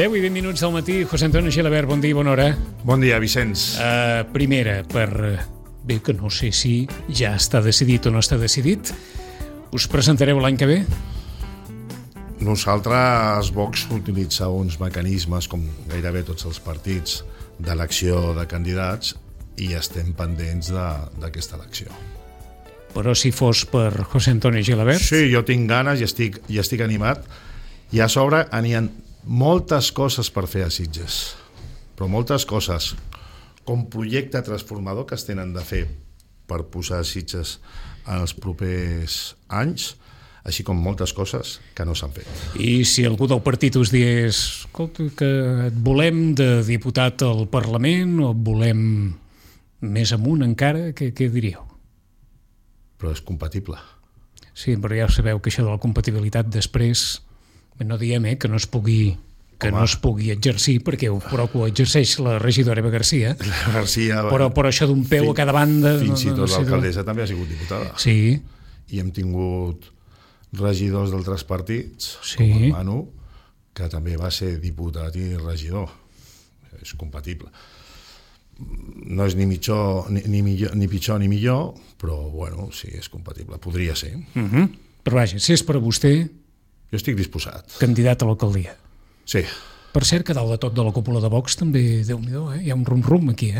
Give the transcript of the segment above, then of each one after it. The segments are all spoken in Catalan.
10 i 20 minuts del matí. José Antonio Gilabert, bon dia i bona hora. Bon dia, Vicenç. Primera, bé, que no sé si ja està decidit o no està decidit, us presentareu l'any que ve? Nosaltres, Vox, utilitza uns mecanismes, com gairebé tots els partits, d'elecció de candidats i estem pendents d'aquesta elecció. Però si fos per José Antonio Gilabert? Sí, jo tinc ganes i estic animat. I a sobre n'hi ha moltes coses per fer a Sitges, però moltes coses, com projecte transformador que es tenen de fer per posar Sitges en els propers anys, així com moltes coses que no s'han fet. I si algú del partit us digués, escolta, que et volem de diputat al Parlament o et volem més amunt encara, què diríeu? Però és compatible. Sí, però ja sabeu que això de la compatibilitat després, no diem que no es pugui exercir, perquè però ho exerceix la regidora Eva Garcia, però això d'un peu a cada banda... Fins i tot l'alcaldessa també ha sigut diputada. Sí. I hem tingut regidors d'altres partits, sí, com el Manu, que també va ser diputat i regidor. És compatible. No és ni pitjor ni millor, però bueno, sí, és compatible. Podria ser. Però vaja, si és per a vostè... Jo estic disposat. Candidat a l'alcaldia. Sí. Per cert, que dalt de tot de la cúpula de Vox també, Déu-n'hi-do, hi ha un rum-rum aquí,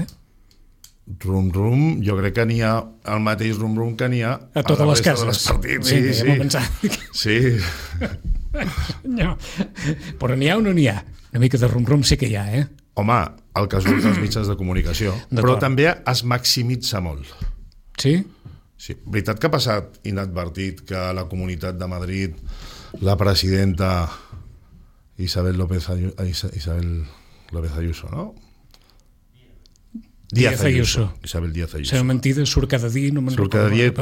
Rum-rum, jo crec que n'hi ha el mateix rum-rum que n'hi ha a totes les cases. Sí. No. Però n'hi ha o no n'hi ha? Una mica de rum-rum sí que hi ha, Home, el que surt dels mitjans de comunicació, però també es maximitza molt. Sí? Sí. Veritat que ha passat inadvertit que a la Comunitat de Madrid la presidenta Isabel López Ayuso, ¿no? Díaz Ayuso. Isabel Díaz Ayuso. Serà mentida, surt cada dia, no me'n recordo. Surt cada dia,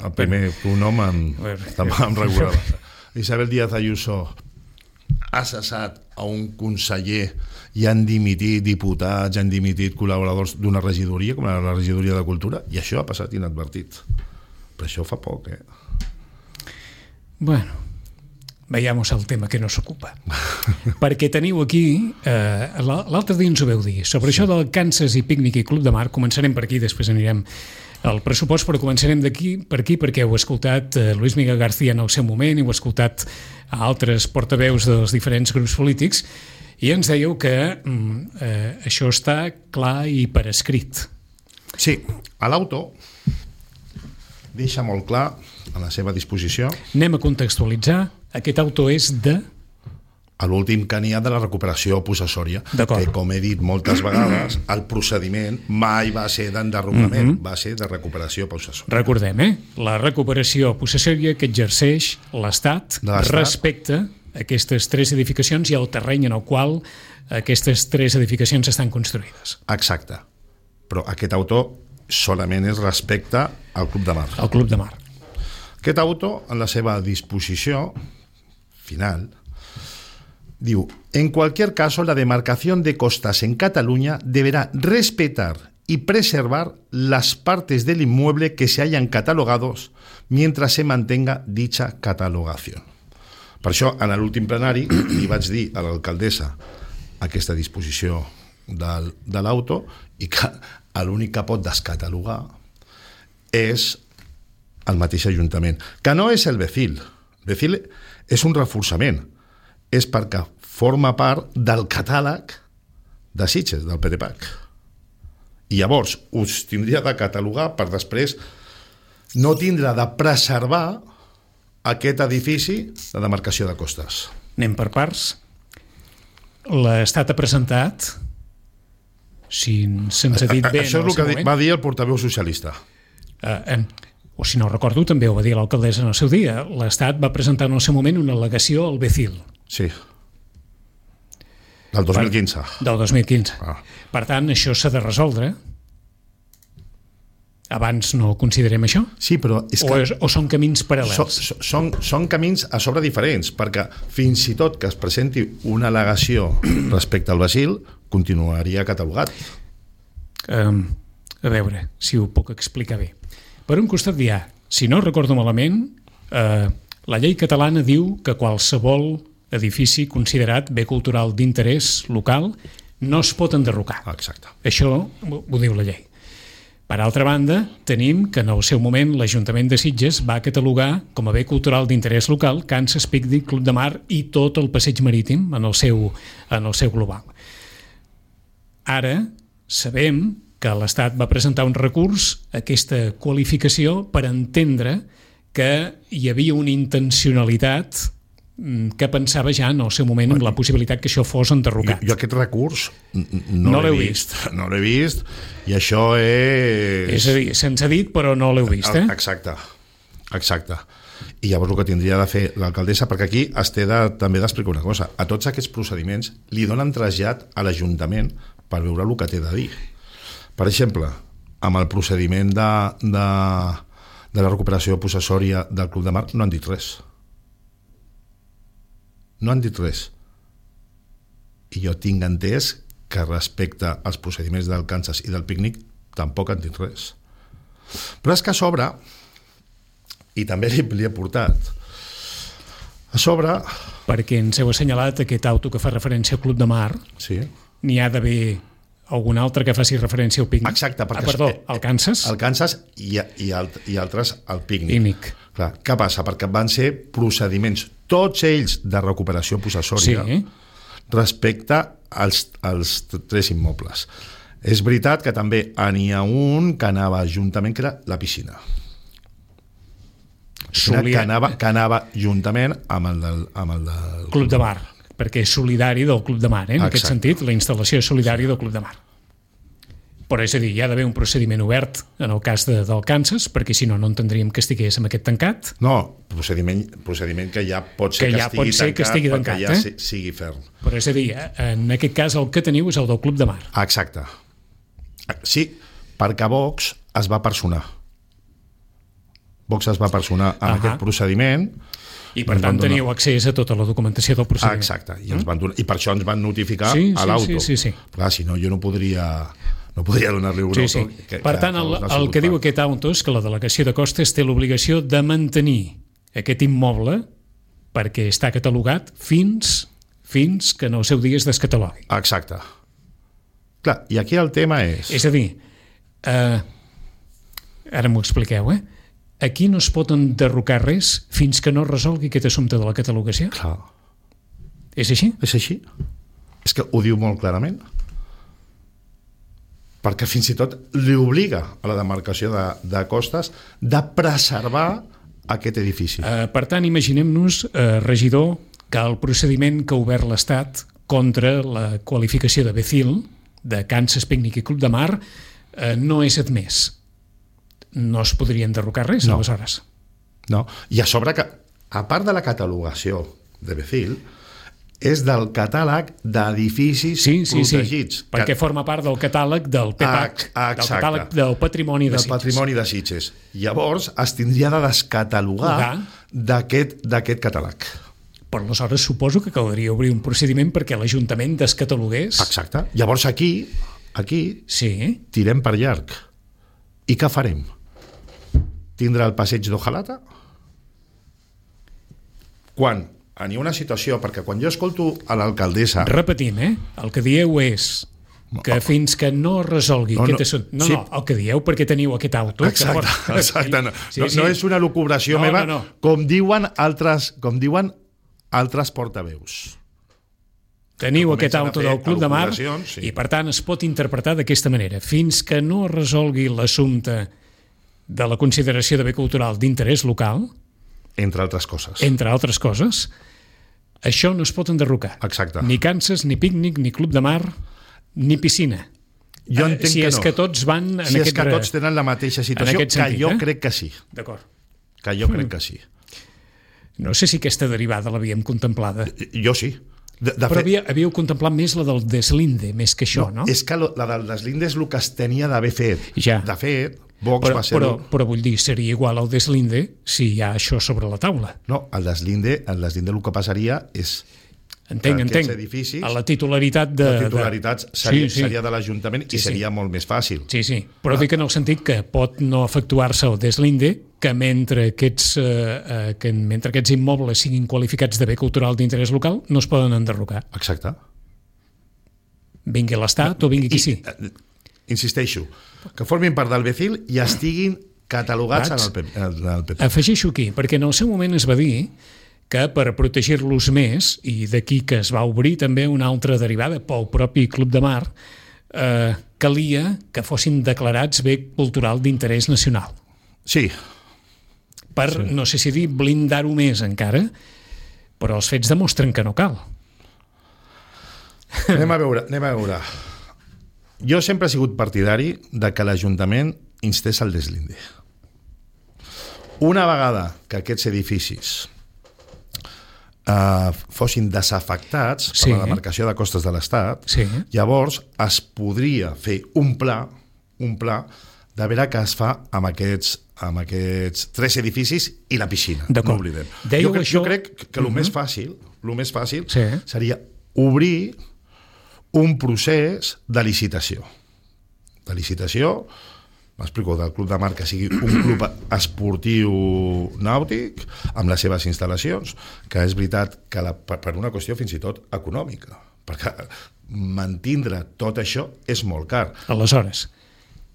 el primer pronom em recordava. Isabel Díaz Ayuso ha cessat a un conseller i han dimitit diputats, han dimitit col·laboradors d'una regidoria, com la regidoria de Cultura, i això ha passat inadvertit. Però això fa poc, Bueno, veiem el tema que nos ocupa. Perquè teniu aquí, l'altre dia ens ho veu dir, sobre això del Kansas i Pícnic i Club de Mar. Començarem per aquí, després anirem al pressupost, però començarem per aquí perquè heu escoltat Luis Miguel García en el seu moment i heu escoltat a altres portaveus dels diferents grups polítics i ens dèieu que això està clar i per escrit. Sí, a l'auto deixa molt clar a la seva disposició. Anem a contextualitzar. Aquest auto és de... A l'últim que n'hi ha de la recuperació possessòria, que com he dit moltes vegades, el procediment mai va ser d'enderrocament, va ser de recuperació possessòria. Recordem, la recuperació possessòria que exerceix l'Estat respecte a aquestes tres edificacions i al terreny en el qual aquestes tres edificacions estan construïdes. Exacte. Però aquest auto solament és respecte al Club de Mar. Al Club de Mar. Aquest auto, en la seva disposició final, diu: en cualquier caso, la demarcación de costas en Cataluña deberá respetar y preservar las partes del inmueble que se hayan catalogados mientras se mantenga dicha catalogación. Per això, en l'últim plenari, li vaig dir a l'alcaldessa aquesta disposició de l'auto i que l'únic que pot descatalogar és el mateix Ajuntament, que no és el BECIL. El BECIL és un reforçament, és perquè forma part del catàleg de Sitges, del PDPAC. I llavors us tindria de catalogar per després no tindre de preservar aquest edifici de demarcació de costes. Anem per parts. L'Estat ha presentat, si se'ns ha dit bé... Això és el que va dir el portaveu socialista. O si no recordo, també ho va dir l'alcaldessa en el seu dia. L'Estat va presentar en el seu moment una al·legació al BECIL. Sí. Del 2015. Del 2015. Per tant, això s'ha de resoldre. Abans no considerem això? Sí, però és que... O són camins paral·lels? Són camins a sobre diferents, perquè fins i tot que es presenti una al·legació respecte al BECIL, continuaria catalogat. A veure, si ho puc explicar bé. Per un costat si no recordo malament, la llei catalana diu que qualsevol edifici considerat bé cultural d'interès local, no es pot enderrocar. Exacte. Això ho diu la llei. Per altra banda, tenim que en el seu moment l'Ajuntament de Sitges va catalogar com a bé cultural d'interès local Kansas Picnic Club de Mar i tot el passeig marítim en el seu global. Ara sabem que l'Estat va presentar un recurs a aquesta qualificació per entendre que hi havia una intencionalitat que pensava ja en el seu moment en la possibilitat que això fos enderrocat. Jo aquest recurs no l'he vist. No l'he vist i això és... És a dir, se'ns ha dit però no l'heu vist, eh? Exacte. I llavors el que tindria de fer l'alcaldessa, perquè aquí es té també d'explicar una cosa, a tots aquests procediments li donen trasllat a l'Ajuntament per veure el que té de dir. Per exemple, amb el procediment de la recuperació possessòria del Club de Mar no han dit res. No han dit res. I jo tinc entès que respecte als procediments del Kansas i del pícnic tampoc han dit res. Però és que a sobre, i també li he portat, a sobre... Perquè ens heu assenyalat aquest auto que fa referència al Club de Mar, sí. N'hi ha d'haver algun altre que faci referència al pícnic. Exacte. Al Kansas? Al Kansas i altres al pícnic. Clar, què passa? Perquè van ser procediments, tots ells de recuperació possessòria, sí, respecte als 3 immobles. És veritat que també n'hi ha un que anava juntament, que era la piscina. Que anava juntament amb el del Club de Mar, perquè és solidari del Club de Mar, en aquest sentit, la instal·lació és solidària del Club de Mar. Però és a dir, hi ha d'haver un procediment obert en el cas del Kansas, perquè si no, no entendríem que estigués amb aquest tancat. No, procediment que ja pot ser que estigui tancat, perquè ja sigui ferm. Però és a dir, en aquest cas el que teniu és el del Club de Mar. Exacte. Sí, perquè Vox es va personar. Vox es va personar en aquest procediment. I per tant teniu accés a tota la documentació del procediment. Exacte. I per això ens van notificar a l'auto. Sí. Clar, si no, jo no podria donar-li un auto. Sí. Per tant, el que diu aquest auto és que la delegació de Costes té l'obligació de mantenir aquest immoble perquè està catalogat fins que en el seu dia es descatalogui. Exacte. Clar, i aquí el tema és... És a dir, ara m'ho expliqueu, aquí no es pot enderrocar res fins que no resolgui aquest assumpte de la catalogació? Clar. És així? És així. És que ho diu molt clarament. Perquè fins i tot li obliga a la demarcació de Costes de preservar aquest edifici. Per tant, imaginem-nos, regidor, que el procediment que ha obert l'Estat contra la qualificació de Becil, de Kansas Picnic i Club de Mar, no és admès. No es podria enderrocar res, aleshores? No, i a sobre que, a part de la catalogació de Becil, és del catàleg d'edificis protegits. Sí, perquè forma part del catàleg del PEPAC, del catàleg del patrimoni de Sitges. Del patrimoni de Sitges. Llavors es tindria de descatalogar d'aquest catàleg. Però aleshores suposo que caldria obrir un procediment perquè l'Ajuntament descatalogués. Exacte. Llavors aquí tirem per llarg. I què farem? Tindrà el passeig d'Ojalata? Quan hi ha una situació, perquè quan jo escolto a l'alcaldessa... Repetim, el que dieu és que fins que no resolgui aquest assumpte... No, el que dieu perquè teniu aquest auto... Exacte. No és una lucubració meva, com diuen altres portaveus. Teniu aquest auto del Club de Mar i, per tant, es pot interpretar d'aquesta manera. Fins que no resolgui l'assumpte de la consideració de bé cultural d'interès local... Entre altres coses, això no es pot enderrocar. Exacte. Ni Kansas, ni pícnic, ni Club de Mar, ni piscina. Jo entenc si és que tots van en aquest... Si és que tots tenen la mateixa situació, que jo crec que sí. D'acord. Que jo crec que sí. No sé si aquesta derivada l'havíem contemplada. Jo sí. Però havíeu contemplat més la del deslinde, més que això, no? És que la del deslinde és el que es tenia d'haver fet. Ja. De fet, Vox va ser... Però vull dir, seria igual al deslinde si hi ha això sobre la taula. No, el deslinde el que passaria és... Entenc. Edificis, a la titularitat seria de l'Ajuntament i seria molt més fàcil. Sí, però dic en el sentit que pot no efectuar-se el deslinde que mentre aquests immobles siguin qualificats de bé cultural d'interès local no es poden enderrocar. Exacte. Vingui l'Estat o vingui qui sí. Insisteixo, que formin part del BECIL i estiguin catalogats en el PP. Afegeixo aquí, perquè en el seu moment es va dir que per protegir-los més, i d'aquí que es va obrir també una altra derivada pel propi Club de Mar, calia que fossin declarats bé cultural d'interès nacional. Sí. No sé si dir blindar-ho més encara, però els fets demostren que no cal. Anem a veure. Jo sempre he sigut partidari de que l'Ajuntament instés al deslinde. Una vegada que aquests edificis fossin desafectats per la demarcació de costes de l'Estat, llavors es podria fer un pla de veure què es fa amb aquests 3 edificis i la piscina. No oblidem. Jo crec que el més fàcil seria obrir un procés de licitació. M'explico, del Club de Mar, que sigui un club esportiu nàutic amb les seves instal·lacions, que és veritat que per una qüestió fins i tot econòmica, perquè mantindre tot això és molt car. Aleshores,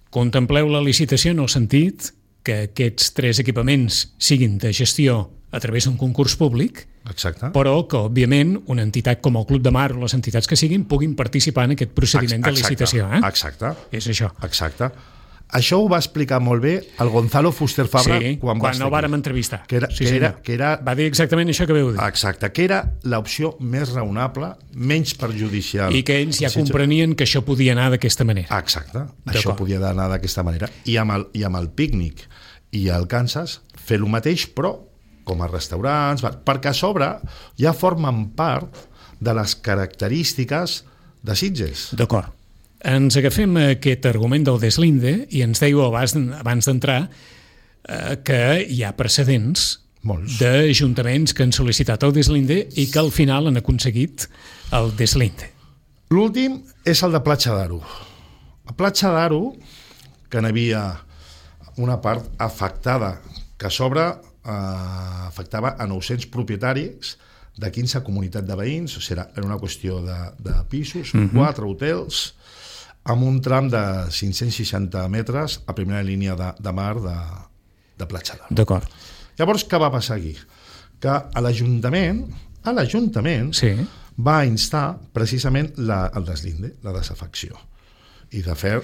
contempleu la licitació en el sentit que aquests 3 equipaments siguin de gestió a través d'un concurs públic, exacte, però que, òbviament, una entitat com el Club de Mar o les entitats que siguin puguin participar en aquest procediment de licitació. Exacte. És això. Exacte. Això ho va explicar molt bé el Gonzalo Fuster Fabra quan el vàrem entrevistar. Que era, va dir exactament això que veu dir. Exacte, que era l'opció més raonable, menys perjudicial. I que ells ja comprenien que això podia anar d'aquesta manera. Exacte, això podia anar d'aquesta manera. I amb el pícnic i el Kansas fer el mateix, però com a restaurants, perquè a sobre ja formen part de les característiques de Sitges. D'acord. Ens agafem aquest argument del deslinde i ens dèieu abans d'entrar que hi ha precedents d'ajuntaments que han sol·licitat el deslinde i que al final han aconseguit el deslinde. L'últim és el de Platja d'Aro. A Platja d'Aro, que n'hi havia una part afectada, que a sobre afectava a 900 propietaris de 15 comunitats de veïns, o sigui, era una qüestió de pisos, 4 hotels, amb un tram de 560 metres a primera línia de mar de Platja d'Aro. D'acord. Llavors, què va passar aquí? Que l'Ajuntament va instar precisament el deslinde, la desafecció. Y de fet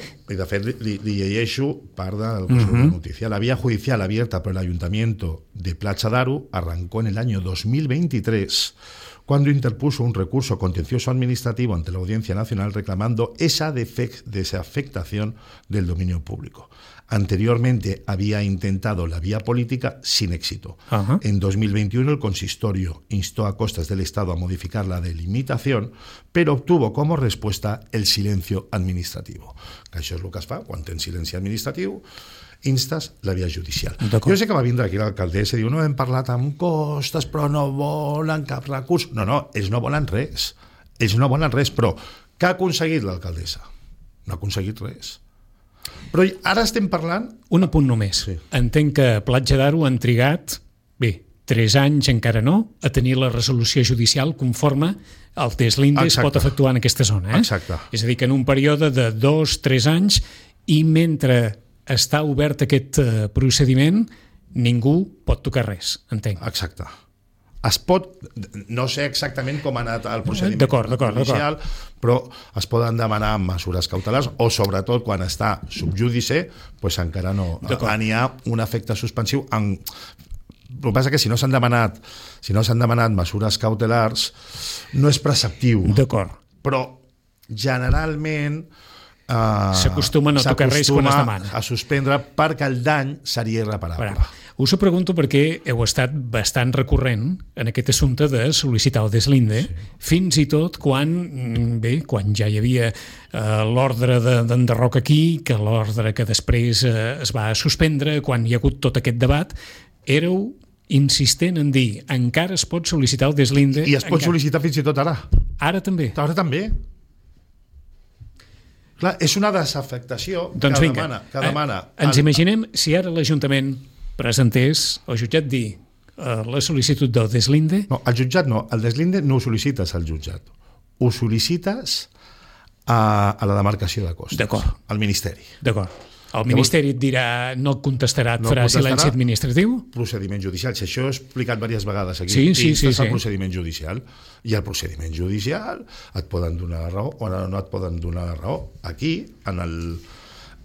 li llegeixo part del curso de noticia. La vía judicial abierta por el Ayuntamiento de Platja d'Aro arrancó en el año 2023 cuando interpuso un recurso contencioso administrativo ante la Audiencia Nacional reclamando esa desafectación del dominio público. Anteriormente había intentado la vía política sin éxito. En 2021 el consistorio instó a costas del Estado a modificar la delimitación, pero obtuvo como respuesta el silencio administrativo. Que això és el que es fa quan tens silenci administratiu, instes la via judicial. Jo sé que va vindre aquí l'alcaldessa i diu, no hem parlat amb costes, però no volen cap recurs. No, ells no volen res. Però què ha aconseguit l'alcaldessa? No ha aconseguit res. Però ara estem parlant... Un apunt només. Sí. Entenc que a Platja d'Aro han trigat, 3 anys encara no, a tenir la resolució judicial conforme el deslinde es pot efectuar en aquesta zona. Exacte. És a dir, que en un període de 2-3 anys i mentre està obert aquest procediment, ningú pot tocar res, entenc. Exacte. Es pot, no sé exactament com ha anat el procediment judicial, però es poden demanar mesures cautelars o sobretot quan està subjúdice, doncs encara no n'hi ha un efecte suspensiu. El que passa és que si no s'han demanat mesures cautelars no és preceptiu. D'acord. Però generalment s'acostuma a no tocar res quan es demana. A suspendre perquè el dany seria irreparable. Us ho pregunto perquè heu estat bastant recurrent en aquest assumpte de sol·licitar el deslinde, fins i tot quan ja hi havia l'ordre d'enderroc aquí, que l'ordre que després es va suspendre, quan hi ha hagut tot aquest debat, éreu insistent en dir encara es pot sol·licitar el deslinde. I es pot sol·licitar fins i tot ara. Ara també? Ara també. Clar, és una desafectació que demana. Ens imaginem si ara l'Ajuntament presentés al jutjat dir la sol·licitud del deslinde... No, al jutjat no. El deslinde no ho sol·licites al jutjat. Ho sol·licites a la demarcació de costes. D'acord. Al Ministeri. D'acord. El Ministeri et dirà, no et contestarà, et farà silenci administratiu? Procediment judicial. Si això ho he explicat diverses vegades aquí. Sí. El procediment judicial. I el procediment judicial et poden donar la raó o no et poden donar la raó. Aquí, en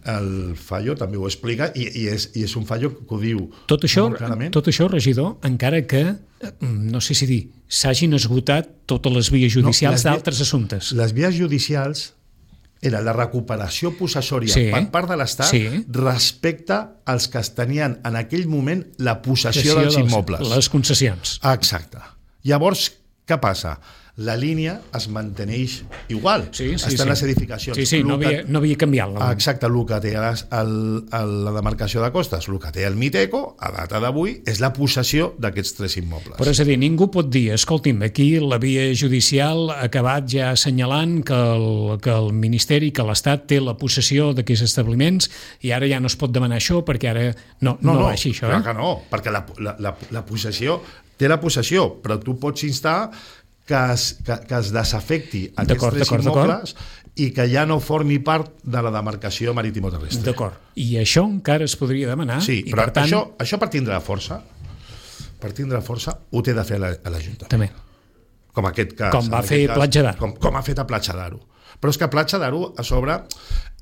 el fallo també ho explica i és un fallo que ho diu molt clarament. Tot això, regidor, encara que, no sé si dir, s'hagin esgotat totes les vies judicials d'altres assumptes. Les vies judicials era la recuperació possessòria per part de l'Estat respecte als que tenien en aquell moment la possessió dels immobles. Les concessions. Exacte. Llavors, què passa? La línia es manteneix igual. Està en les edificacions. Sí, no havia canviat. Exacte, el que té la demarcació de costes, el que té el Miteco, a data d'avui, és la possessió d'aquests 3 immobles. Però és a dir, ningú pot dir, escolti'm, aquí la via judicial ha acabat ja assenyalant que el Ministeri, que l'Estat té la possessió d'aquests establiments i ara ja no es pot demanar això perquè ara no va així, això. Clar que no, perquè la possessió té la possessió, però tu pots instar que es desafecti aquests 3 immobles i que ja no formi part de la demarcació maritimo-terrestre. D'acord. I això encara es podria demanar? Sí, però això per tindre força, ho té de fer a l'Ajuntament. També. Com aquest cas. Com va fer Platja d'Aro. Com ha fet a Platja d'Aro. Però és que Platja d'Aro, a sobre,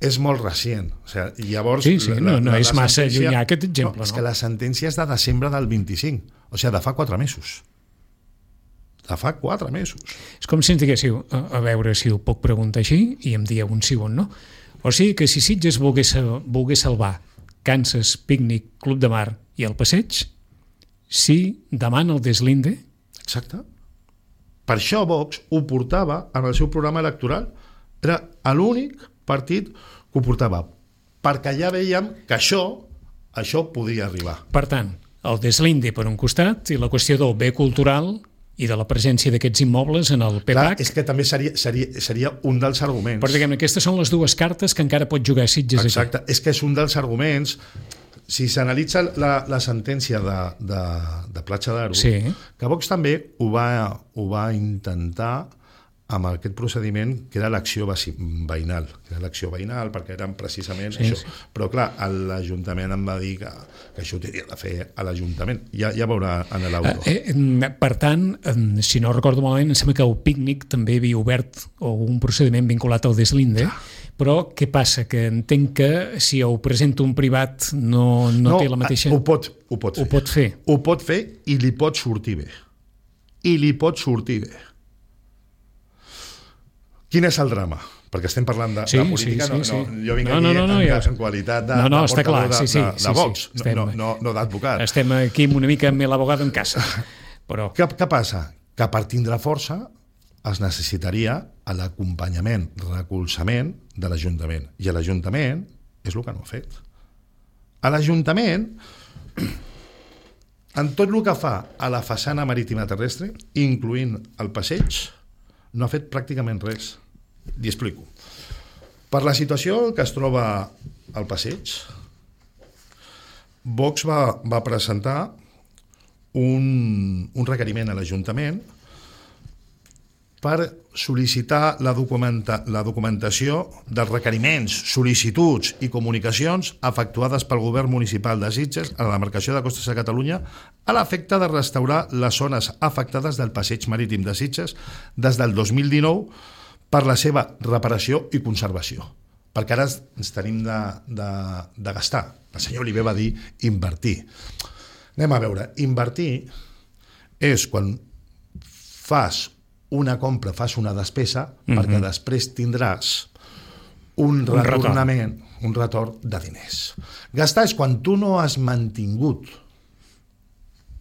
és molt recient. O sigui, llavors, no és massa llunyà aquest exemple. És que la sentència és de desembre del 25, o sigui, de fa 4 mesos. De fa 4 mesos. És com si ens diguéssiu, a veure si ho puc preguntar així, i em dieu un sí o un no. O sigui que si Sitges volgués salvar Kansas, Pícnic, Club de Mar i el Passeig, sí demana el deslinde? Exacte. Per això Vox ho portava en el seu programa electoral. Era l'únic partit que ho portava, perquè ja veiem que això podria arribar. Per tant, el deslinde per un costat i la qüestió del bé cultural i de la presència d'aquests immobles en el PPAC. Clar, és que també seria un dels arguments. Però diguem, aquestes són les 2 cartes que encara pot jugar Sitges. Exacte, és que és un dels arguments. Si s'analitza la sentència de Platja d'Aro, que Vox també ho va intentar amb aquest procediment que era l'acció veïnal. Perquè eren precisament això. Però clar, l'Ajuntament em va dir que això ho tenia de fer a l'Ajuntament. Ja veurà en l'auto. Per tant, si no recordo malament, em sembla que el Pícnic també havia obert un procediment vinculat al deslinde, però què passa? Que entenc que si ho presenta un privat no té la mateixa... Ho pot fer. Ho pot fer i li pot sortir bé. Quin és el drama? Perquè estem parlant de política, jo vinc aquí en qualitat de portador de Vox, no d'advocat. Estem aquí una mica amb l'abogado en casa. Però... Què passa? Que per tindre força es necessitaria l'acompanyament, recolzament de l'Ajuntament. I l'Ajuntament és el que no ha fet. A l'Ajuntament, en tot el que fa a la façana marítima terrestre, incloent el passeig, no ha fet pràcticament res. L'hi explico. Per la situació que es troba al passeig, Vox va presentar un requeriment a l'Ajuntament per sol·licitar la documentació dels requeriments, sol·licituds i comunicacions efectuades pel Govern Municipal de Sitges a la demarcació de Costes de Catalunya a l'efecte de restaurar les zones afectades del passeig marítim de Sitges des del 2019 per la seva reparació i conservació. Perquè ara ens tenim de gastar. El senyor Oliver va dir invertir. Anem a veure. Invertir és quan fas una compra, fas una despesa, perquè després tindràs un retornament, un retorn de diners. Gastar és quan tu no has mantingut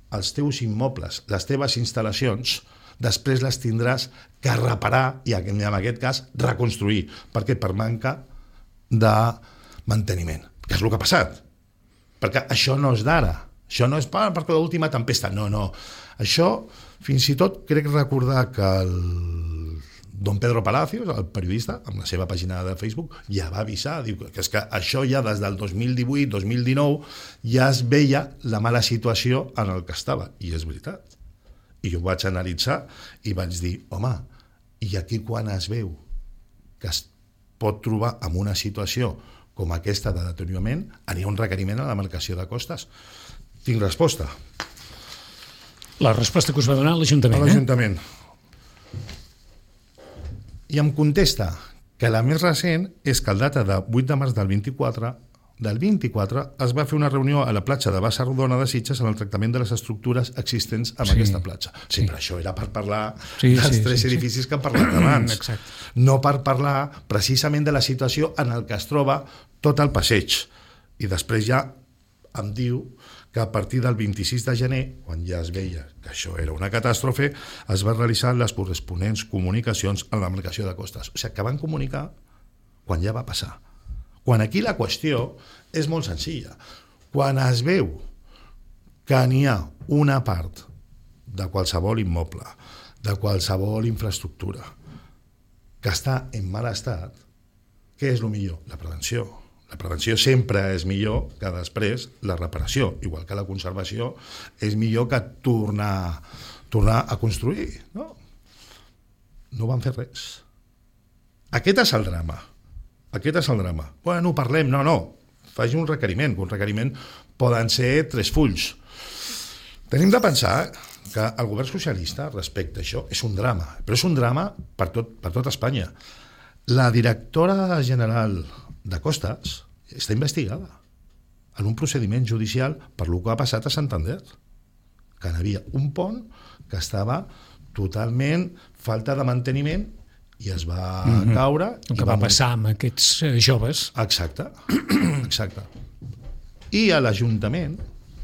els teus immobles, les teves instal·lacions, després les tindràs que reparar i, en aquest cas, reconstruir. Per què? Per manca de manteniment. Que és el que ha passat. Perquè això no és d'ara. Això no és perquè l'última tempesta. No. Això, fins i tot, crec recordar que el Don Pedro Palacios, el periodista, amb la seva pàgina de Facebook, ja va avisar, diu que és que això ja des del 2018-2019 ja es veia la mala situació en el que estava, i és veritat. I jo ho vaig analitzar i vaig dir, home, i aquí quan es veu que es pot trobar en una situació com aquesta de deteriorament, anirà un requeriment a la demarcació de costes. Tinc resposta. La resposta que us va donar l'Ajuntament. A l'Ajuntament. I em contesta que la més recent és que el data de 8 de març del 24 es va fer una reunió a la platja de Bassa Rodona de Sitges en el tractament de les estructures existents en aquesta platja. Sí, però això era per parlar dels tres edificis que hem parlat abans. Exacte. No per parlar precisament de la situació en el que es troba tot el passeig. I després ja em diu que a partir del 26 de gener, quan ja es veia que això era una catàstrofe, es va realitzar les corresponents comunicacions a la demarcació de costes. O sigui, que van comunicar quan ja va passar. Quan aquí la qüestió és molt senzilla. Quan es veu que n'hi ha una part de qualsevol immoble, de qualsevol infraestructura, que està en mal estat, què és el millor? La prevenció. La prevenció sempre és millor que després la reparació, igual que la conservació és millor que tornar a construir. No van fer res. Aquest és el drama. Bueno, parlem, no. Faci un requeriment. Un requeriment poden ser 3 fulls. Tenim de pensar que el govern socialista respecte a això és un drama, però és un drama per tot Espanya. La directora general de Costes està investigada en un procediment judicial per lo que ha passat a Santander, que hi havia un pont que estava totalment falta de manteniment i es va caure. El que va passar amb aquests joves. Exacte. I a l'Ajuntament,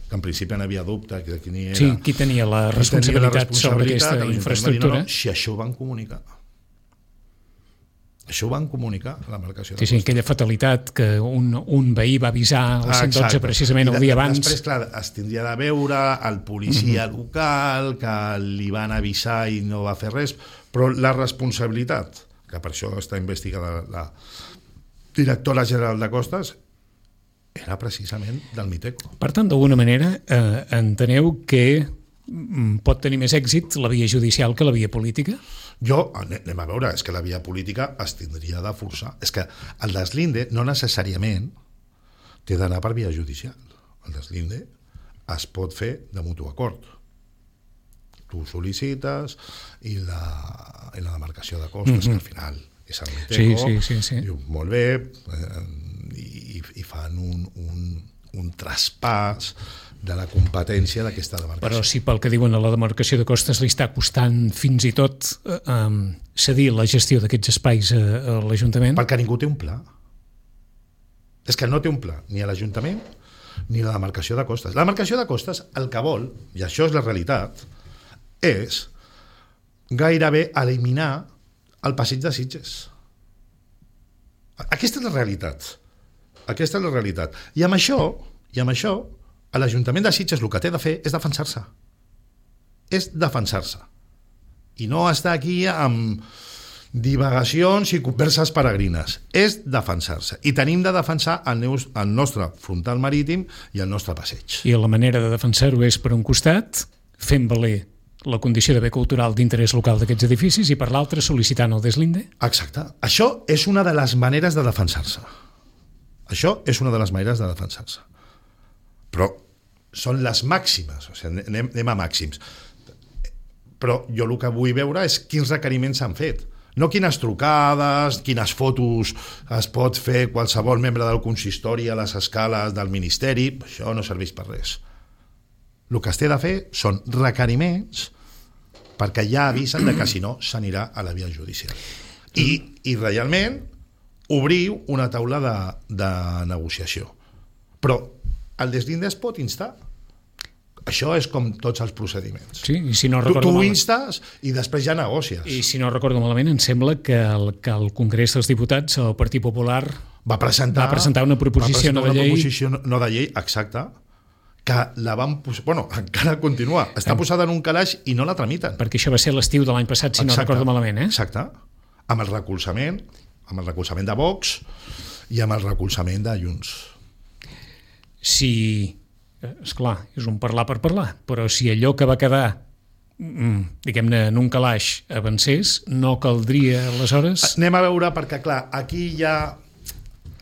que en principi n'havia dubte de qui tenia la responsabilitat sobre aquesta infraestructura. Si això ho van comunicar. Això ho van comunicar a la demarcació de costes. Sí, aquella fatalitat que un veí va avisar al 112 precisament el dia abans. Després, clar, es tindria de veure el policia local, que li van avisar i no va fer res, però la responsabilitat, que per això està investigada la directora general de Costes, era precisament del Miteco. Per tant, d'alguna manera, enteneu que pot tenir més èxit la via judicial que la via política? Anem a veure, és que la via política es tindria de forçar. És que el deslinde no necessàriament té d'anar per via judicial. El deslinde es pot fer de mutu acord. Tu sol·licites i la demarcació de costes, que al final és el Miteco, diu, molt bé, i fan un traspàs de la competència d'aquesta demarcació. Però si pel que diuen a la demarcació de costes li està costant fins i tot cedir la gestió d'aquests espais a l'Ajuntament... Perquè ningú té un pla. És que no té un pla, ni a l'Ajuntament ni la demarcació de costes. La demarcació de costes el que vol, i això és la realitat, és gairebé eliminar el passeig de Sitges. Aquesta és la realitat. I amb això, a l'Ajuntament de Sitges el que té de fer és defensar-se. I no estar aquí amb divagacions i converses peregrines. És defensar-se. I tenim de defensar el nostre frontal marítim i el nostre passeig. I la manera de defensar-ho és, per un costat, fent valer la condició de bé cultural d'interès local d'aquests edificis i, per l'altre, sol·licitant el deslinde? Exacte. Això és una de les maneres de defensar-se. Però són les màximes, o sigui, anem a màxims. Però jo el que vull veure és quins requeriments s'han fet. No quines trucades, quines fotos es pot fer qualsevol membre del consistori a les escales del Ministeri, això no serveix per res. El que es té de fer són requeriments perquè ja avisen que si no s'anirà a la via judicial. I realment obriu una taula de negociació. Però el deslinde es pot instar. Això és com tots els procediments. Sí, i si no recordo tu instes i després ja negocies. I si no recordo malament, em sembla que el Congrés dels Diputats, el Partit Popular, va presentar una proposició no de llei, exacte, que la van posar... Bueno, encara continua. Està posada en un calaix i no la tramiten. Perquè això va ser l'estiu de l'any passat, si no recordo malament, eh? Exacte. amb el recolzament de Vox i amb el recolzament de Junts. Si, esclar, és un parlar per parlar, però si allò que va quedar, diguem-ne, en un calaix avancés, no caldria aleshores... Anem a veure, perquè clar, aquí ja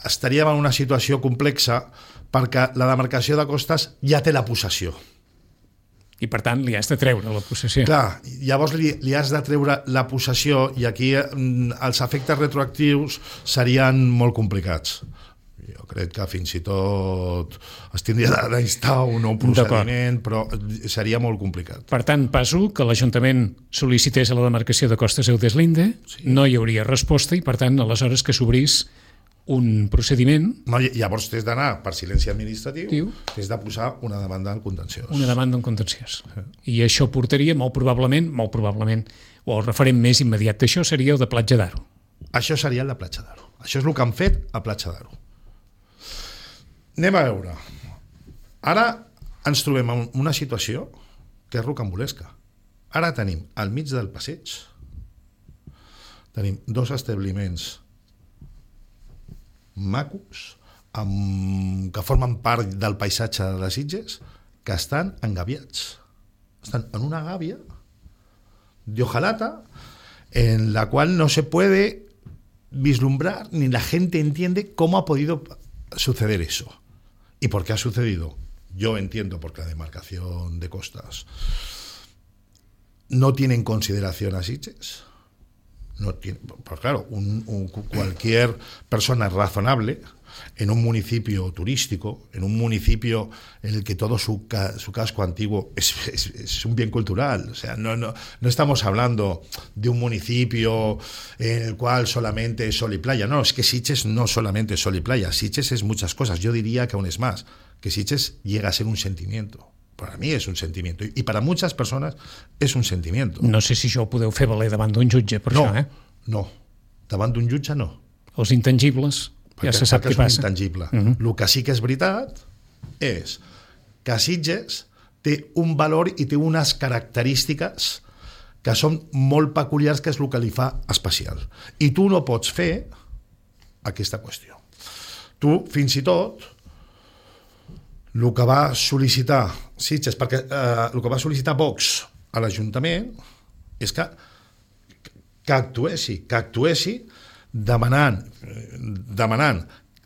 estaríem en una situació complexa perquè la demarcació de costes ja té la possessió. I per tant li has de treure la possessió. Clar, llavors li has de treure la possessió i aquí els efectes retroactius serien molt complicats. Jo crec que fins i tot es tindria d'instar un nou procediment, però seria molt complicat. Per tant, passo que l'Ajuntament sol·licités a la demarcació de Costes Eudeslinde, no hi hauria resposta i, per tant, aleshores que s'obrís un procediment... No, llavors t'has d'anar per silenci administratiu, t'has de posar una demanda en contenciós. Una demanda en contenciós. I això portaria, molt probablement, o el referent més immediat d'això seria el de Platja d'Aro. Això seria el de Platja d'Aro. Això és el que han fet a Platja d'Aro. Anem a veure. Ara ens trobem en una situació que és rocambolesca. Ara tenim al mig del passeig, tenim 2 establiments macos que formen part del paisatge de les Sitges que estan engaviats. Estan en una gàbia de hojalata en la cual no se puede vislumbrar ni la gente entiende cómo ha podido suceder eso. ¿Y por qué ha sucedido? Yo entiendo porque la demarcación de costas no tiene en consideración a Sitges. No tiene, pues claro, cualquier persona razonable en un municipio turístico, en un municipio en el que todo su casco antiguo es un bien cultural. O sea, no estamos hablando de un municipio en el cual solamente es sol y playa. No, es que Sitges no solamente es sol y playa. Sitges es muchas cosas. Yo diría que aún es más, que Sitges llega a ser un sentimiento. Para mi és un sentiment, i per a moltes persones és un sentiment. No sé si això ho podeu fer valer davant d'un jutge, per això, eh? No, davant d'un jutge no. Els intangibles, ja se sap què passa. És un intangible. El que sí que és veritat és que Sitges té un valor i té unes característiques que són molt peculiars, que és el que li fa especial. I tu no pots fer aquesta qüestió. Tu, fins i tot, el que va sol·licitar Sitges, perquè el que va sol·licitar Vox a l'Ajuntament és que actuessi demanant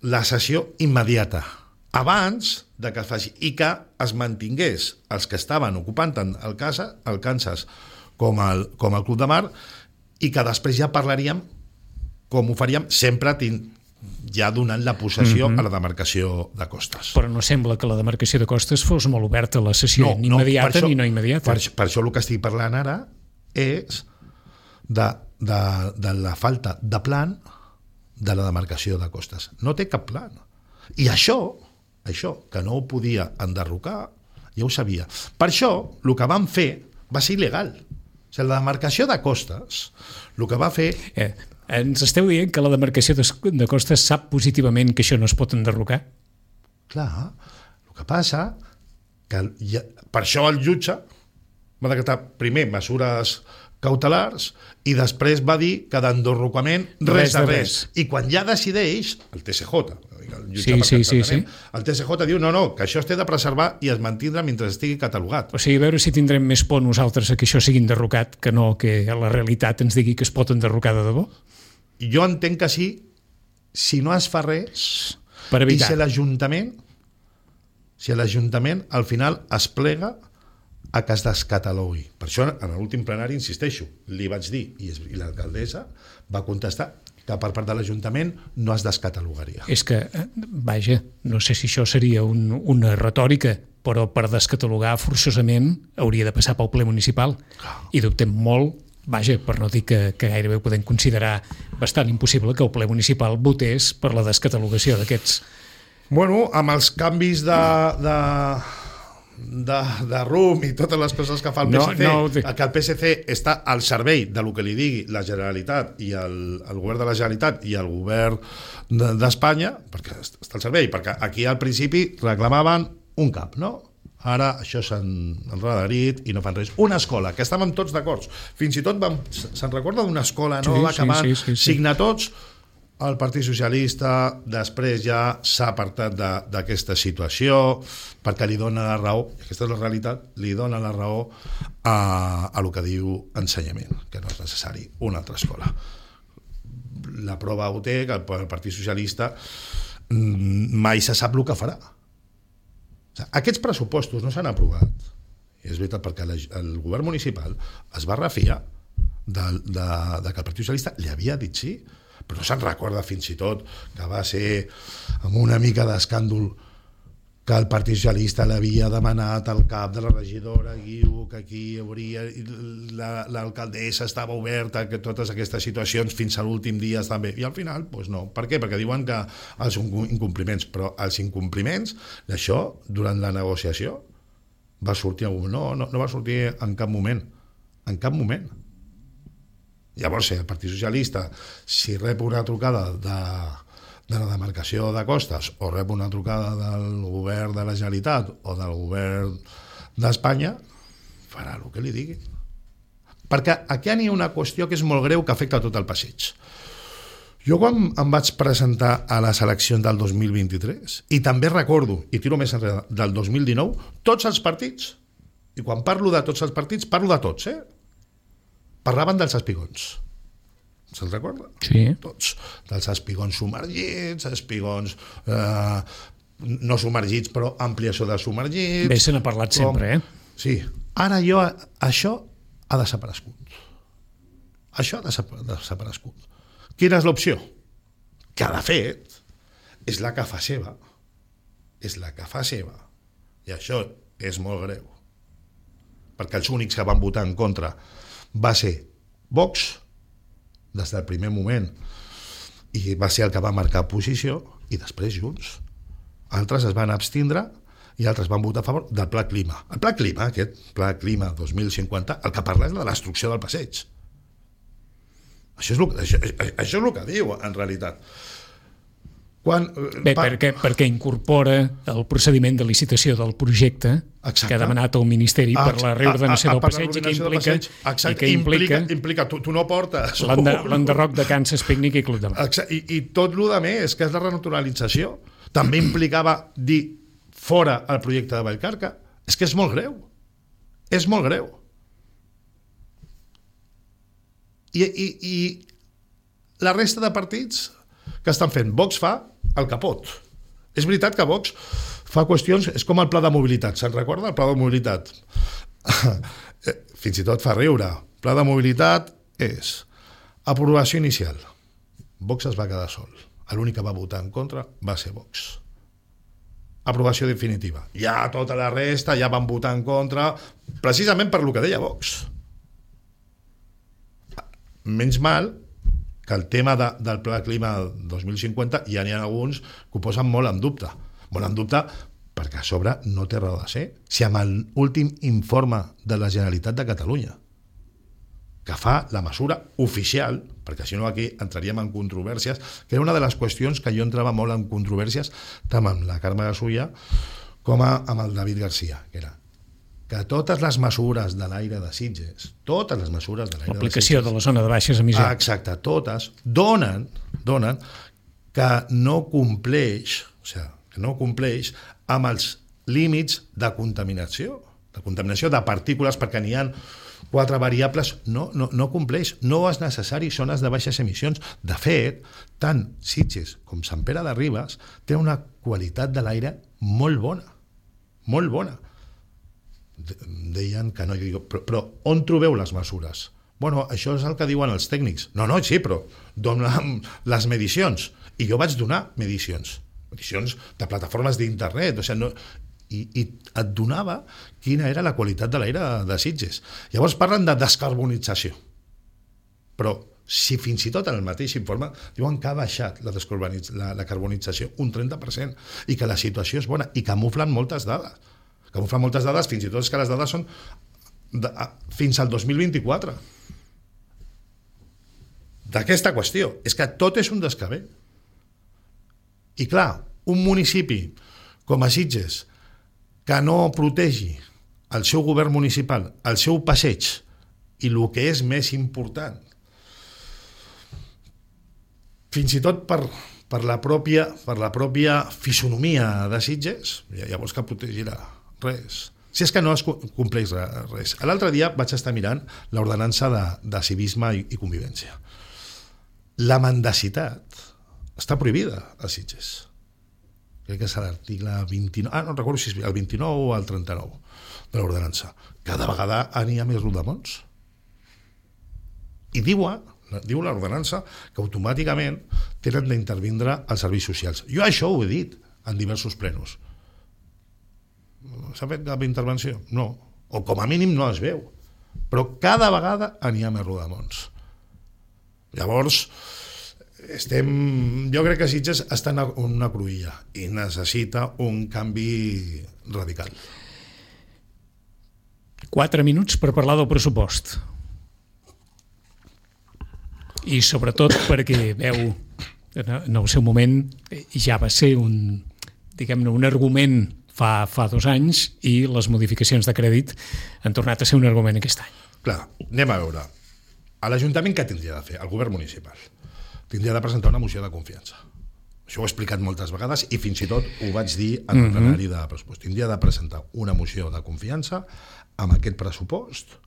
la cessió immediata abans de que es faci i que es mantingués els que estaven ocupant tant el Kansas com el Club de Mar i que després ja parlaríem com ho faríem sempre ja donant la possessió a la demarcació de costes. Però no sembla que la demarcació de costes fos molt oberta a la cessió, ni immediata ni no immediata. Per això el que estic parlant ara és de la falta de plan de la demarcació de costes. No té cap plan. I això, que no ho podia enderrocar, ja ho sabia. Per això, el que van fer va ser il·legal. O sigui, la demarcació de costes, el que va fer... Ens esteu dient que la demarcació de costes sap positivament que això no es pot enderrocar? Clar, el que passa que per això el jutge va decretar primer mesures cautelars i després va dir que d'enderrocament res de res. I quan ja decideix el TSJ, el TSJ diu no, que això es té de preservar i es mantindrà mentre estigui catalogat. O sigui, a veure si tindrem més por nosaltres que això sigui enderrocat que no que la realitat ens digui que es pot enderrocar de debò. Jo entenc que sí, si no es fa res i si l'Ajuntament al final es plega a que es descatalogui. Per això en l'últim plenari, insisteixo, li vaig dir i l'alcaldessa va contestar que per part de l'Ajuntament no es descatalogaria. És que, vaja, no sé si això seria una retòrica, però per descatalogar forçosament hauria de passar pel ple municipal i dubtem molt, vaja, per no dir que gairebé ho podem considerar bastant impossible que el ple municipal votés per la descatalogació d'aquests. Bueno, amb els canvis de rumb i totes les coses que fa el PSC, que el PSC està al servei de lo que li digui la Generalitat i el govern de la Generalitat i el govern d'Espanya, perquè està al servei, perquè aquí al principi reclamaven un cap, no? Ara això s'han enredarit i no fan res. Una escola, que estàvem tots d'acord. Fins i tot se'n recorda d'una escola nova que van signar tots. El Partit Socialista després ja s'ha apartat d'aquesta situació perquè li dona la raó, i aquesta és la realitat, li dona la raó a el que diu ensenyament, que no és necessari una altra escola. La prova ho té que el Partit Socialista mai se sap el que farà. O sigui, aquests pressupostos no s'han aprovat, i és veritat perquè el govern municipal es va refiar que el Partit Socialista li havia dit sí, però no se'n recorda fins i tot que va ser amb una mica d'escàndol que el Partit Socialista l'havia demanat al cap de la regidora Guiu, que aquí hauria l'alcaldessa estava oberta, que totes aquestes situacions fins a l'últim dia estan bé, i al final doncs no. Per què? Perquè diuen que els incompliments, però els incompliments d'això durant la negociació va sortir no va sortir en cap moment, Llavors, el Partit Socialista, si rep una trucada de la demarcació de Costes o rep una trucada del govern de la Generalitat o del govern d'Espanya, farà el que li digui. Perquè aquí hi ha una qüestió que és molt greu que afecta tot el passeig. Jo quan em vaig presentar a les eleccions del 2023, i també recordo, i tiro més enrere, del 2019, tots els partits, i quan parlo de tots els partits, parlo de tots, parlaven dels espigons. Se'ls recorda? Sí. Tots. Dels espigons submergits, espigons no submergits, però ampliació de submergits. Bé, se n'ha parlat sempre, Sí. Ara això ha desaparegut. Això ha desaparegut. Quina és l'opció? Que, de fet, és la que fa seva. I això és molt greu. Perquè els únics que van votar en contra va ser Vox, des del primer moment, i va ser el que va marcar posició, i després Junts. Altres es van abstindre i altres van votar a favor del Pla Clima. El Pla Clima, aquest Pla Clima 2050, el que parla és de la destrucció del passeig. Això és el que diu, en realitat. Perquè incorpora el procediment de licitació del projecte que ha demanat el Ministeri per la reordenació del passeig i que implica tu no portes l'enderroc de Kansas Picnic i Club de Mar. I tot el que més, que és la renaturalització, també implicava dir fora el projecte de Vallcarca. És que és molt greu. I la resta de partits que estan fent, Vox fa el que pot. És veritat que Vox fa qüestions, és com el pla de mobilitat, se'n recorda el pla de mobilitat? Fins i tot fa riure. El pla de mobilitat és aprovació inicial. Vox es va quedar sol. L'únic que va votar en contra va ser Vox. Aprovació definitiva. Ja tota la resta ja van votar en contra, precisament per lo que deia Vox. Menys mal que el tema del Pla Clima 2050 ja n'hi ha alguns que ho posen molt en dubte perquè a sobre no té raó de ser. Si amb l'últim informe de la Generalitat de Catalunya que fa la mesura oficial, perquè si no aquí entraríem en controvèrsies, que era una de les qüestions que jo entrava molt en controvèrsies tant amb la Carme Gasulla com amb el David Garcia, que era que totes les mesures de l'aire de Sitges, l'aplicació de la zona de baixes emissions, exacte, totes donen que no compleix amb els límits de contaminació de partícules, perquè n'hi ha 4 variables, no compleix, no és necessari zones de baixes emissions. De fet, tant Sitges com Sant Pere de Ribes té una qualitat de l'aire molt bona. Deien que no, però on trobeu les mesures? Bueno, això és el que diuen els tècnics. No, sí, però dona'm les medicions. I jo vaig donar medicions de plataformes d'internet, i et donava quina era la qualitat de l'aire de Sitges. Llavors parlen de descarbonització, però si fins i tot en el mateix informe diuen que ha baixat la carbonització un 30% i que la situació és bona, i camuflen moltes dades, fins i tot és que les dades són fins al 2024 d'aquesta qüestió. És que tot és un descabell. I clar, un municipi com a Sitges, que no protegi el seu govern municipal, el seu passeig, i el que és més important, fins i tot per la pròpia fisonomia de Sitges, llavors que protegirà res. Si és que no es compleix res. L'altre dia vaig estar mirant l'ordenança de civisme i convivència. La mendacitat està prohibida a Sitges. Crec que és l'article 29, no recordo si és el 29 o el 39 de l'ordenança. Cada vegada n'hi ha més rodamons. I diu l'ordenança que automàticament tenen d'intervindre els serveis socials. Jo això ho he dit en diversos plenos. S'ha fet cap intervenció? No. O com a mínim no es veu. Però cada vegada n'hi ha més rodamons. Llavors, jo crec que Sitges està en una cruïlla i necessita un canvi radical. 4 minuts per parlar del pressupost. I sobretot perquè veu, en el seu moment ja va ser un argument fa 2 anys i les modificacions de crèdit han tornat a ser un argument aquest any. Clar, anem a veure. A l'Ajuntament què tindria de fer? El govern municipal tindria de presentar una moció de confiança. Això ho he explicat moltes vegades i fins i tot ho vaig dir en el plenari de pressupost. Tindria de presentar una moció de confiança amb aquest pressupost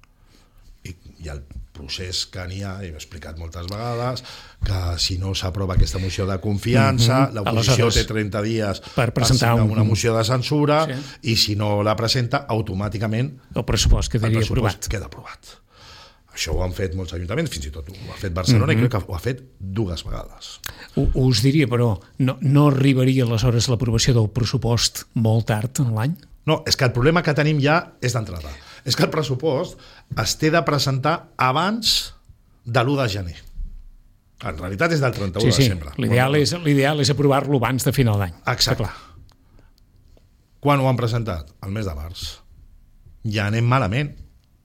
i el procés que n'hi ha, he explicat moltes vegades, que si no s'aprova aquesta moció de confiança, l'oposició té 30 dies per presentar una moció de censura, i si no la presenta, automàticament el pressupost quedaria aprovat. Queda aprovat. Això ho han fet molts ajuntaments, fins i tot ho ha fet Barcelona, i crec que ho ha fet 2 vegades. Us diria, però, no arribaria aleshores l'aprovació del pressupost molt tard en l'any? No, és que el problema que tenim ja és d'entrada. És que el pressupost es té de presentar abans de l'1 de gener. En realitat és del 31 de desembre. L'ideal és aprovar-lo abans de final d'any. Exacte. Quan ho han presentat? El mes de març. Ja anem malament.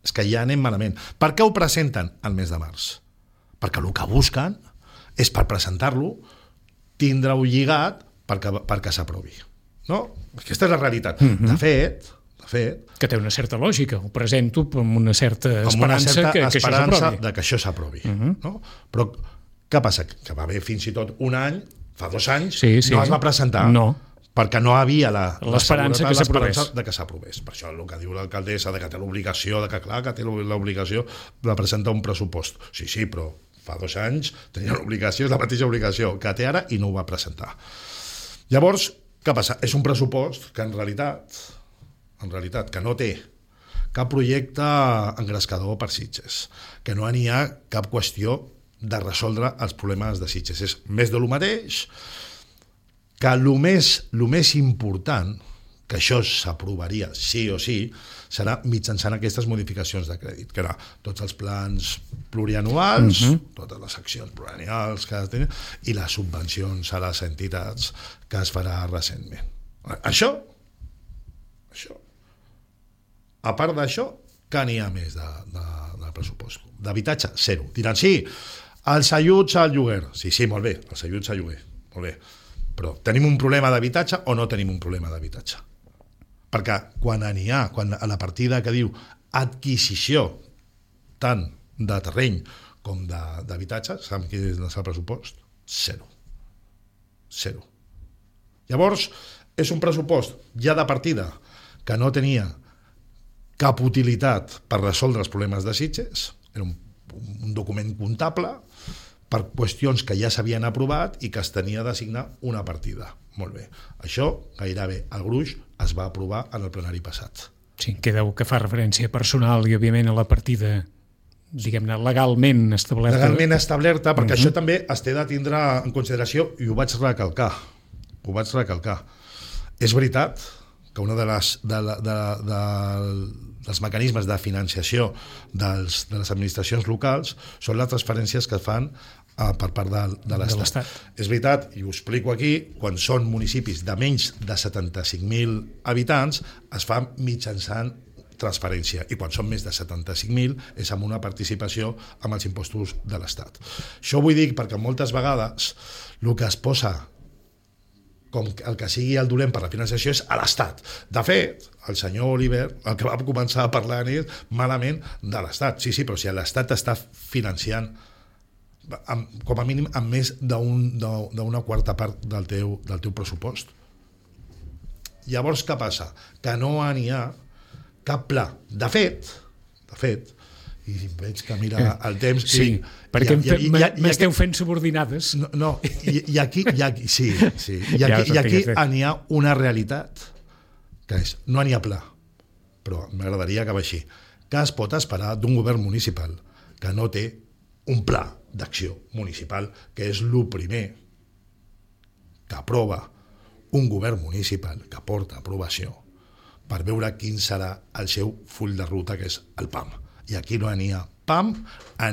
És que ja anem malament. Per què ho presenten el mes de març? Perquè el que busquen és per presentar-lo tindre-ho lligat perquè s'aprovi. No? Aquesta és la realitat. De fet, que té una certa lògica. Ho presento amb una certa esperança que això s'aprovi. De que això s'aprovi. No? Però què passa? Que va haver fins i tot un any, fa 2 anys, no es va presentar. No. Perquè no havia l'esperança de que s'aprovés. Per això el que diu l'alcaldessa, que té l'obligació, que té l'obligació de presentar un pressupost. Sí, però fa 2 anys tenia l'obligació, és la mateixa obligació que té ara, i no ho va presentar. Llavors, què passa? És un pressupost que en realitat que no té cap projecte engrescador per Sitges, que no n'hi ha cap qüestió de resoldre els problemes de Sitges. És més de lo mateix, que el més important, que això s'aprovaria sí o sí, serà mitjançant aquestes modificacions de crèdit, que era tots els plans plurianuals, totes les accions plurianuals que tenen, i les subvencions a les entitats que es farà recentment. Això, a part d'això, que n'hi ha més de pressupost? D'habitatge, 0. Diran, sí, els ajuts al lloguer. Sí, molt bé, els ajuts al lloguer, molt bé. Però tenim un problema d'habitatge o no tenim un problema d'habitatge? Perquè quan a la partida que diu adquisició tant de terreny com d'habitatge, saben quin és el pressupost? 0. Llavors, és un pressupost ja de partida que no tenia cap utilitat per resoldre els problemes de Sitges, era un document comptable per qüestions que ja s'havien aprovat i que es tenia d'assignar una partida. Molt bé. Això, gairebé el gruix, es va aprovar en el plenari passat. Sí, que fa referència personal i, òbviament, a la partida, diguem-ne, legalment establerta. Legalment establerta, perquè això també es té de tindre en consideració, i ho vaig recalcar. És veritat que una dels mecanismes de financiació de les administracions locals són les transferències que fan per part de l'Estat. És veritat, i ho explico aquí, quan són municipis de menys de 75.000 habitants es fa mitjançant transferència, i quan són més de 75.000 és amb una participació amb els impostos de l'Estat. Això ho vull dir perquè moltes vegades el que es posa com el que sigui el dolent per la financiació és a l'Estat. De fet, el senyor Oliver el que va començar a parlar és malament de l'Estat. Sí, però si l'Estat està financiant com a mínim amb més d'una quarta part del teu pressupost. Llavors, què passa? Que no n'hi ha cap pla. De fet, i veig que mira el temps... Sí, perquè m'esteu fent subordinades. No, i aquí sí. I aquí n'hi ha una realitat, que és, no n'hi ha pla, però m'agradaria acabar així, que es pot esperar d'un govern municipal que no té un pla d'acció municipal, que és el primer que aprova un govern municipal, que porta aprovació, per veure quin serà el seu full de ruta, que és el PAM. I aquí no n'hi ha PAM,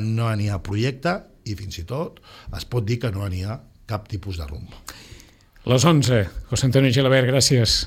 no n'hi ha projecte, i fins i tot es pot dir que no n'hi ha cap tipus de rumb. Les 11. José Antonio Gelabert, gràcies.